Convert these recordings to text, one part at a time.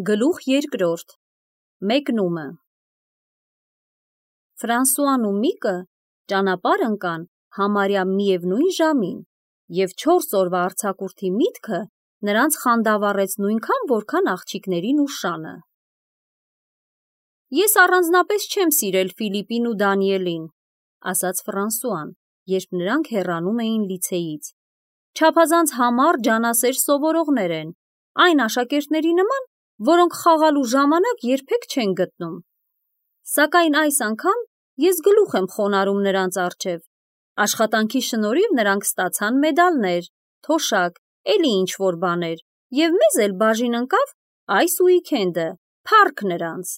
Գլուխ երկրորդ Մեկնումը Ֆրանսուան ու Միկը ճանապարհ ընկան համարյա միևնույն ժամին, և 4 օրվա արձակուրդի միտքը նրանց խանդավառեց նույնքան, որքան աղջիկներին ու շանը։ «Ես առանձնապես չեմ սիրել Ֆիլիպին ու Դանիելին», ասաց Ֆրանսուան, երբ նրանք հեռանում էին լիցեից։ «Չափազանց համառ ջանասեր սովորողներ են, այն աշակերտների նման, որոնք խաղալու ժամանակ երբեք չեն գտնում։ Սակայն այս անգամ ես գլուխ եմ խոնարհում նրանց առջև։ Աշխատանքի շնորհիվ նրանք ստացան մեդալներ, թոշակ, էլի ինչ-որ բաներ, և մեզ էլ բաժին ընկավ այս ուիկենդը, փառք նրանց»։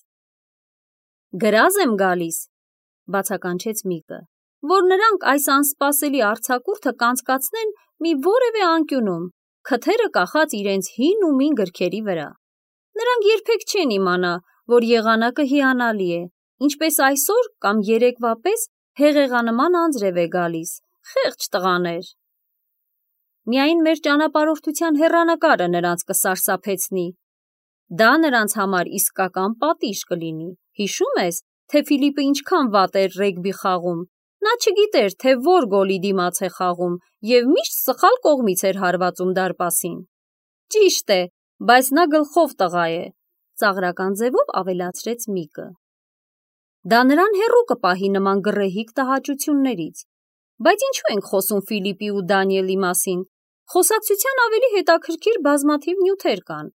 «Գրազ եմ գալիս», բացականչեց Միկը, «որ նրանք այս անսպասելի արձակուրդը կանցկացնեն մի որևէ անկյունում, քթերը կախած իրենց հին ու մին գրքերի վրա։ Նրանք երբեք չեն իմանա, որ եղանակը հիանալի է, ինչպես այսօր կամ երեկվա պես հեղեղանման անձրև է գալիս, խեղճ տղաներ։ Միայն մեր ճանապարհորդության հեռանկարը նրանց կսարսափեցնի։ Դա նրանց համար իսկական պատիժ կլինի։ Հիշում ես, թե Ֆիլիպը ինչքան վատ էր ռեգբի խաղում։ Նա չգիտեր, թե որ գոլի դիմաց է խաղում և միշտ սխալ կողմից էր հարվածում դարպասին։ Ճիշտ է, բայց նա գլխով տղա է», ծաղրական ձևով ավելացրեց Միկը։ «Դա նրան հեռու կպահի նման գռեհիկ տհաճություններից։ Բայց ինչու ենք խոսում Ֆիլիպի ու Դանիելի մասին։ Խոսակցության ավելի հետաքրքիր բազմաթիվ նյութեր կան,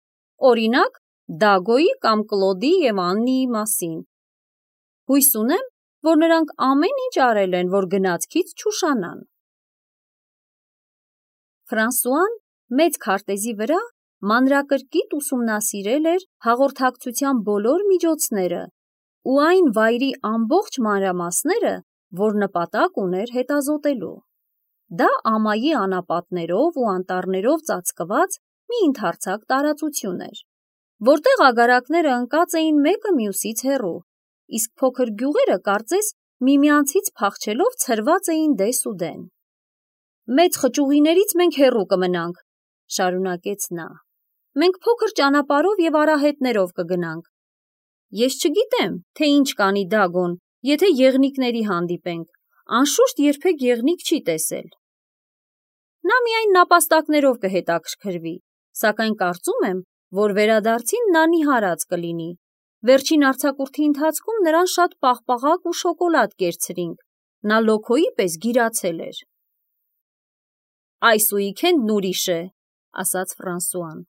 օրինակ, Դագոյի կամ Կլոդի և Աննիի մասին։ Հույս ունեմ, որ նրանք ամեն ինչ արել են, որ գնացքից չուշանան»։ Ֆրանսուան մեծ քարտեզի վրա մանրակրկիտ ուսումնասիրել էր հաղորդակցության բոլոր միջոցները ու այն վայրի ամբողջ մանրամասները, որ նպատակ ուներ հետազոտելու։ Դա ամայի անապատներով ու անտառներով ծածկված մի ընդարձակ տարածություն էր, որտեղ ագարակները ընկած էին մեկը մյուսից հեռու, իսկ փոքր գյուղերը կարծես միմյանցից փախչելով ցրված էին դես ու դեն։ «Մեծ խճուղիներից մենք հեռու կմնանք», շարունակեց նա։ «Մենք փոքր ճանապարհով և արահետներով կգնանք։ Ես չգիտեմ, թե ինչ կանի Դագոն, եթե եղնիկների հանդիպենք, անշուշտ երբեք եղնիկ չի տեսել։ Նա միայն նապաստակներով կհետաքրքրվի, սակայն կարծում եմ, որ վերադարձին նա նիհարած կլինի։ Վերջին արձակուրդի ընթացքում նրան շատ պաղպաղակ ու շոկոլադ կերցրինք, նա լոքոյի պես գիրացել էր»։ «Այս ուիկենդն ուրիշ է», ասաց Ֆրանսուան։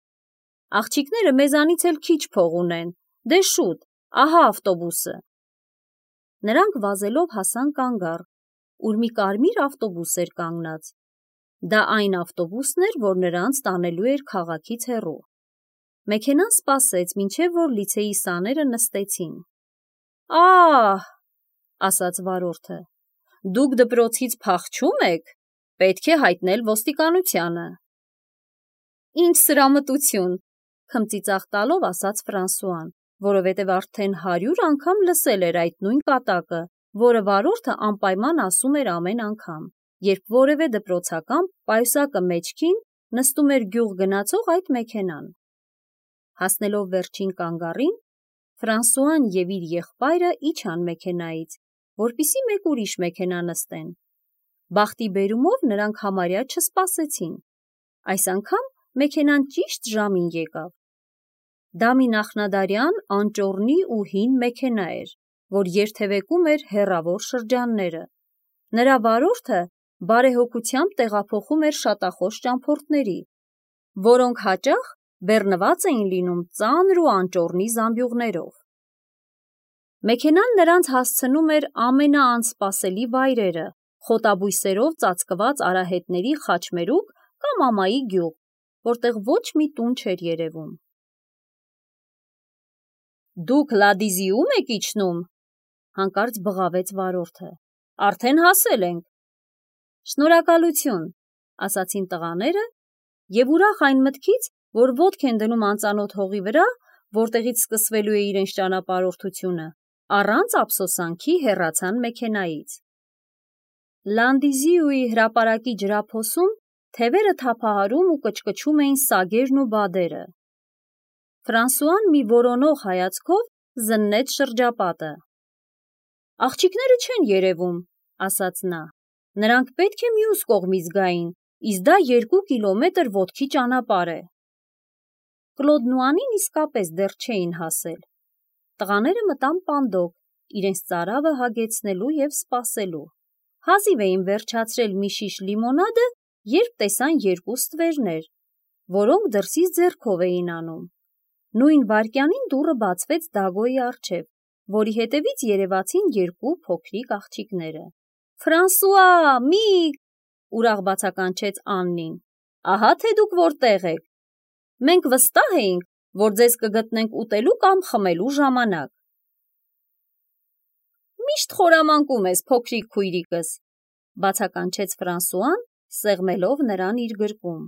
«Աղջիկները մեզանից էլ քիչ փող ունեն, դե շուտ, ահա ավտոբուսը»։ Նրանք վազելով հասան կանգառ, ուր մի կարմիր ավտոբուս էր կանգնած։ Դա այն ավտոբուսն էր, որ նրանց տանելու էր քաղաքից հեռու։ Մեքենան սպասեց, մինչև որ լիցեի սաները նստեցին։ «Ա՜հ», ասաց վարորդը, «դուք դպրոցից փախչում եք, պետք է հայտնել ոստիկանությանը»։ «Ինչ սրամտություն», քմծիծաղ տալով ասաց Ֆրանսուան, որովհետև արդեն 100 անգամ լսել էր այդ նույն կատակը, որը վարորդը անպայման ասում էր ամեն անգամ, երբ որևէ դպրոցական պայուսակը մեջքին նստում էր գյուղ գնացող այդ մեքենան։ Հասնելով վերջին կանգառին, Ֆրանսուան և իր եղբայրը իջան մեքենայից, որպեսզի մեկ ուրիշ մեքենա նստեն։ Բախտի բերումով նրանք համարյա չսպասեցին։ Այս անգամ մեքենան ճիշտ ժամին եկավ։ Դա մի նախնադարյան անճոռնի ու հին մեքենա էր, որ երթևեկում էր հեռավոր շրջանները։ Նրա վարորդը բարեհոգությամբ տեղափոխում էր շատախոս ճամփորդների, որոնք հաճախ բեռնված էին լինում ծանր ու անճոռնի զամբյուղներով։ Մեքենան նրանց հասցնում էր ամենաանսպասելի վայրերը, խոտաբույսերով ծածկված արահետների խաչմերուկ կամ ամայի գյուղ, որտեղ ոչ մի տուն չէր երևում։ «Դուք Լադիզիում եք իջնում», հանկարծ բղավեց վարորդը։ «Արդեն հասել ենք»։ «Շնորհակալություն», ասացին տղաները, և ուրախ այն մտքից, որ ոտք են դնում անծանոթ հողի վրա, որտեղից սկսվելու է իրենց ճանապարհորդությունը, առանց ափսոսանքի հեռացան մեքենայից։ Լանդիզիուի հրապարակի ջրափոսում թևերը թափահարում ու կչկչում էին սագերն ու բադերը։ Ֆրանսուան մի որոնող հայացքով զննեց շրջապատը։ Աղջիկները չեն երևում, ասաց նա։ Նրանք պետք է մյուս կողմից գային, իսկ դա 2 կիլոմետր ոտքի ճանապարհ է։ Կլոդն ու Անին իսկապես դեռ չէին հասել։ Տղաները մտան պանդոկ, իրենց ծարավը հագեցնելու և սպասելու։ Հազիվ էին վերջացրել մի շիշ լիմոնադը, երբ տեսան 2 ստվերներ, որոնք դրսից ձեռքով էին անում։ Նույն վայրկյանին դուռը բացվեց Դագոյի առջև, որի հետևից երևացին 2 փոքրիկ աղջիկները։ Ֆրանսուଆ, Միկ, ուրախ բացականչեց Աննին։ Ահա թե դուք որտեղ եք։ Մենք վստահ էինք, որ ձեզ կգտնենք ուտելու կամ խմելու ժամանակ։ Միշտ խորամանկում ես, փոքրիկ քույրիկս, բացականչեց Ֆրանսուան, սեղմելով նրան իր գրկում։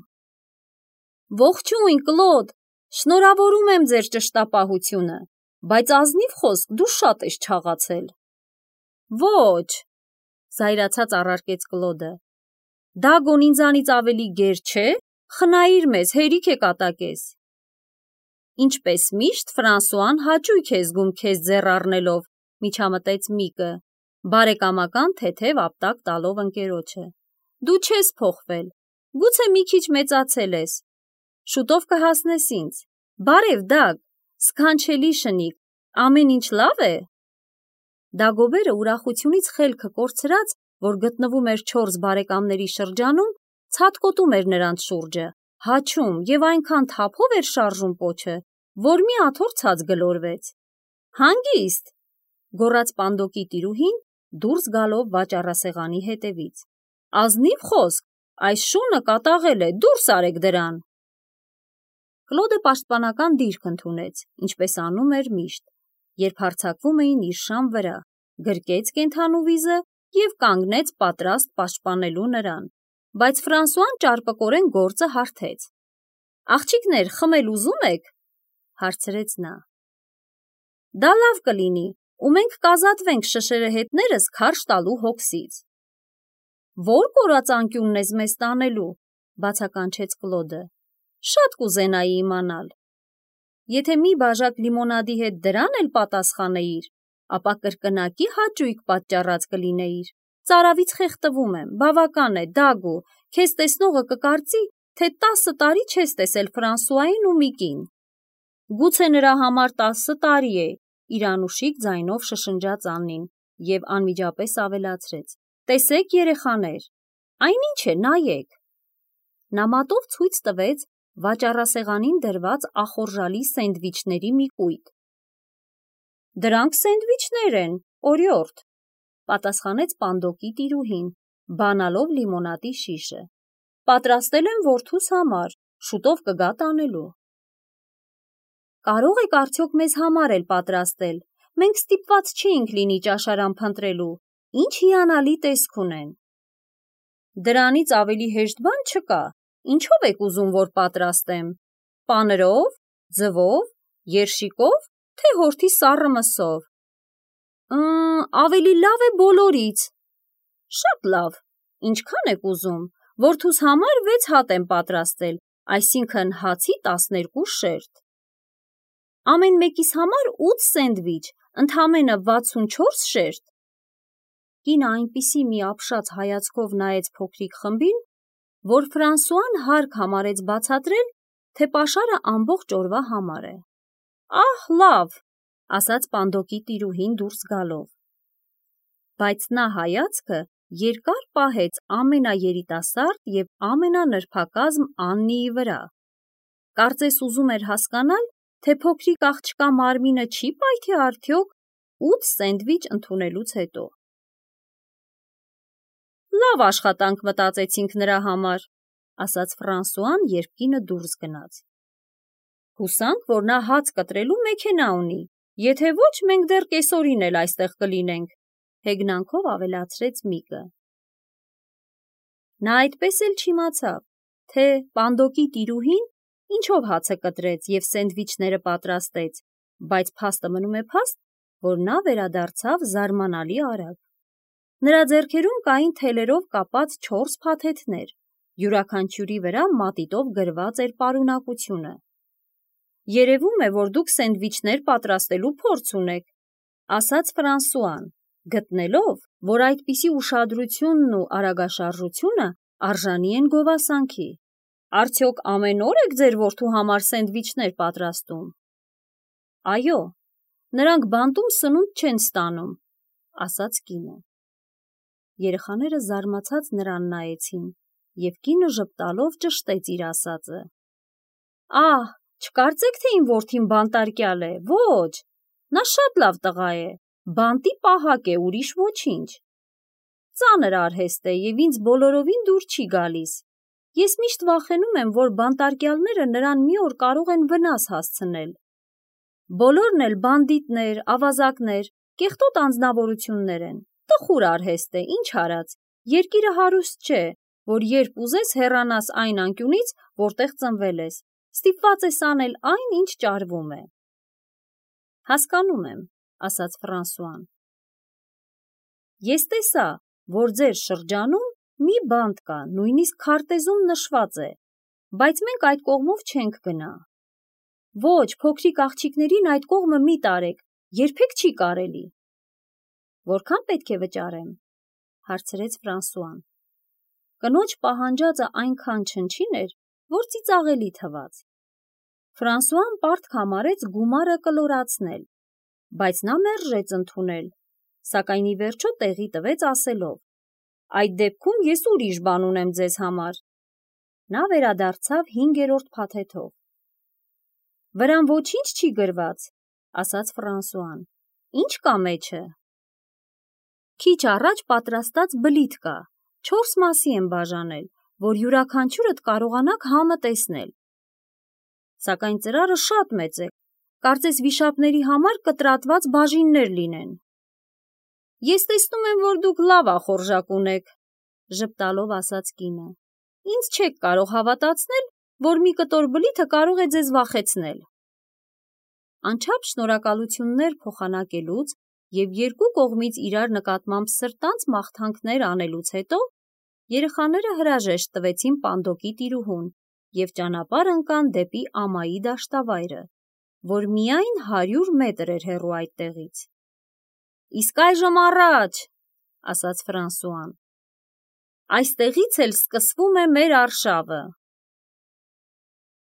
Ողջույն, Կլոդ, շնորհավորում եմ ձեր ճշտապահությունը, բայց ազնիվ խոսք, դու շատ ես չաղացել։ Ոչ, զայրացած առարկեց Կլոդը։ Դագոն ինձանից ավելի գեր չէ, խնայիր մեզ, հերիք է կատակես։ Ինչպես միշտ Ֆրանսուան հաճույք է զգում քեզ ձեռ առնելով, միջամտեց Միկը, բարեկամական թեթև ապտակ տալով ընկերոջը։ Դու չես փոխվել, գուցե մի քիչ մեծացել ես։ Շուտով կհասնես ինձ։ Բարև, Դագ, սքանչելի շնիկ, ամեն ինչ լավ է։ Դագոբերը ուրախությունից խելքը կորցրած, որ գտնվում էր 4 բարեկամների շրջանում, ցատկոտում էր նրանց շուրջը, հաչում և այնքան թափով էր շարժում պոչը, որ մի աթոռ ցած գլորվեց։ Հանգիստ, գոռաց պանդոկի տիրուհին, դուրս գալով վաճառասեղանի հետևից։ Ազնիվ խոսք, այս շունը կատաղել է, դուրս արեք դրան։ Կլոդը պաշտպանական դիրք ընդունեց, ինչպես անում էր միշտ, երբ հարձակվում էին իր շան վրա, գրկեց կենդանու վիզը և կանգնեց պատրաստ պաշտպանելու նրան, բայց Ֆրանսուան ճարպկորեն գործը հարթեց։ Աղջիկներ, խմել ուզում եք, հարցրեց նա։ Դա լավ կլինի, ու մենք կազատվենք շշերեհետներս քարշ տալու հոգսից։ Որ կորած անկյունն ես մեզ տանելու, բացականչեց Կլոդը։ Շատ կուզենայի իմանալ։ Եթե մի բաժակ լիմոնադի հետ դրան էլ պատասխանեիր, ապա կրկնակի հաճույք պատճառած կլինեիր։ Ծարավից խեղդվում եմ, բավական է, Դագո, քեզ տեսնողը կկարծի, թե 10 տարի չես տեսել Ֆրանսուային ու Միկին։ Գուցե նրա համար 10 տարի է, իր անուշիկ ձայնով շշնջաց Աննին և անմիջապես ավելացրեց. Տեսեք, երեխաներ, այնինչ է, նայեք։ Նա մատով ցույց տվեց վաճառասեղանին դրված ախորժալի սենդվիչների մի կույտ։ Դրանք սենդվիչներ են, օրիորդ, պատասխանեց պանդոկի տիրուհին, բանալով լիմոնադի շիշը։ Պատրաստել եմ որդուս համար, շուտով կգա տանելու։ Կարող եք արդյոք մեզ համար էլ պատրաստել, մենք ստիպված չէինք լինի ճաշարան փնտրելու, ինչ հիանալի տեսք ունեն։ Դրանից ավելի հեշտ բան չկա, ինչով եք ուզում, որ պատրաստեմ, պանրով, ձվով, երշիկով, թե հորթի սառը մսով։ Ավելի լավ է բոլորից։ Շատ լավ, ինչքան եք ուզում, որդուս համար 6 հատ եմ պատրաստել, այսինքն հացի 12 շերտ։ Ամեն մեկիս համար 8 սենդվիչ, ընդամենը 64 շերտ։ Կինը այնպիսի մի ապշած հայացքով նայեց փոքրիկ խմբին, որ Ֆրանսուան հարկ համարեց բացատրել, թե պաշարը ամբողջ օրվա համար է։ Ահ, լավ, ասաց պանդոկի տիրուհին դուրս գալով։ Բայց նա հայացքը երկար պահեց ամենաերիտասարդ և ամենանրբակազմ Աննիի վրա։ Կարծես ուզում էր հասկանալ, թե փոքրիկ աղջկա մարմինը չի պայթի արդյոք 8 սենդվիչ ընդունելուց հետո։ Լավ աշխատանք մտածեցինք նրա համար, ասաց Ֆրանսուան, երբ կինը դուրս գնաց։ Հուսանք, որ նա հաց կտրելու մեքենա ունի, եթե ոչ, մենք դեռ կեսօրին էլ այստեղ կլինենք, հեգնանքով ավելացրեց Միկը։ Նա այդպես էլ չիմացավ, թե պանդոկի տիրուհին ինչով հացը կտրեց և սենդվիչները պատրաստեց, բայց փաստը մնում է փաստ, որ նա վերադարձավ զարմանալի արագ։ Նրա ձեռքերում կային թելերով կապած 4 փաթեթներ, յուրաքանչյուրի վրա մատիտով գրված էր պարունակությունը։ Երևում է, որ դուք սենդվիչներ պատրաստելու փորձ ունեք, ասաց Ֆրանսուան, գտնելով, որ այդպիսի ուշադրությունն ու արագաշարժությունը արժանի են գովասանքի։ Արդյոք ամեն օր եք ձեր որդու համար սենդվիչներ պատրաստում։ Այո, նրանք բանտում սնունդ չեն ստանում, ասաց կինը։ Երեխաները զարմացած նրան նայեցին, և կինը ժպտալով ճշտեց իր ասածը։ Ահ, չկարծեք, թե իմ որդին բանտարկյալ է, ոչ, նա շատ լավ տղա է, բանտի պահակ է, ուրիշ ոչինչ։ Ծանր արհեստ է և ինձ բոլորովին դուր չի գալիս։ Ես միշտ վախենում եմ, որ բանտարկյալները նրան մի օր կարող են վնաս հասցնել։ Բոլորն էլ բանդիտներ, ավազակներ, կեղտոտ անձնավորություններ են։ Տխուր արհեստ է, ինչ արած, երկիրը հարուստ չէ, որ երբ ուզես հեռանաս այն անկյունից, որտեղ ծնվել ես, ստիպված ես անել այն, ինչ ճարվում է։ Հասկանում եմ, ասաց Ֆրանսուան։ Ես տեսա, որ ձեր շրջանում մի բանտ կա, նույնիսկ քարտեզում նշված է, բայց մենք այդ կողմով չենք գնա։ Ոչ, փոքրիկ աղջիկներին այդ կողմը մի տարեք, երբեք չի կարելի։ Որքան պետք է վճարեմ, հարցրեց Ֆրանսուան։ Կնոջ պահանջածը այնքան չնչին էր, որ ծիծաղելի թվաց։ Ֆրանսուան պարտք համարեց գումարը կլորացնել, բայց նա մերժեց ընդունել, սակայն ի վերջո տեղի տվեց ասելով. Այդ դեպքում ես ուրիշ բան ունեմ ձեզ համար։ Նա վերադարձավ 5-րդ փաթեթով։ Վրան ոչինչ չի գրված, ասաց Ֆրանսուան։ Ինչ կա մեջը։ Քիչ առաջ պատրաստած բլիթ կա, 4 մասի եմ բաժանել, որ յուրաքանչյուրդ կարողանաք համը տեսնել։ Սակայն ծրարը շատ մեծ է, կարծես վիշապների համար կտրատված բաժիններ լինեն։ Ես տեսնում եմ, որ դուք լավ ախորժակ ունեք, ժպտալով ասաց կինը։ Ինձ չեք կարող հավատացնել, որ մի կտոր բլիթը կարող է ձեզ վախեցնել։ Անչափ շնորհակալություններ փոխանակելուց և երկու կողմից իրար նկատմամբ սրտանց մաղթանքներ անելուց հետո երեխաները հրաժեշտ տվեցին պանդոկի տիրուհուն և ճանապարհ ընկան դեպի ամայի դաշտավայրը, որ միայն 100 մետր էր հեռու այդտեղից։ Իսկ այժմ առաջ, ասաց Ֆրանսուան։ Այստեղից էլ սկսվում է մեր արշավը։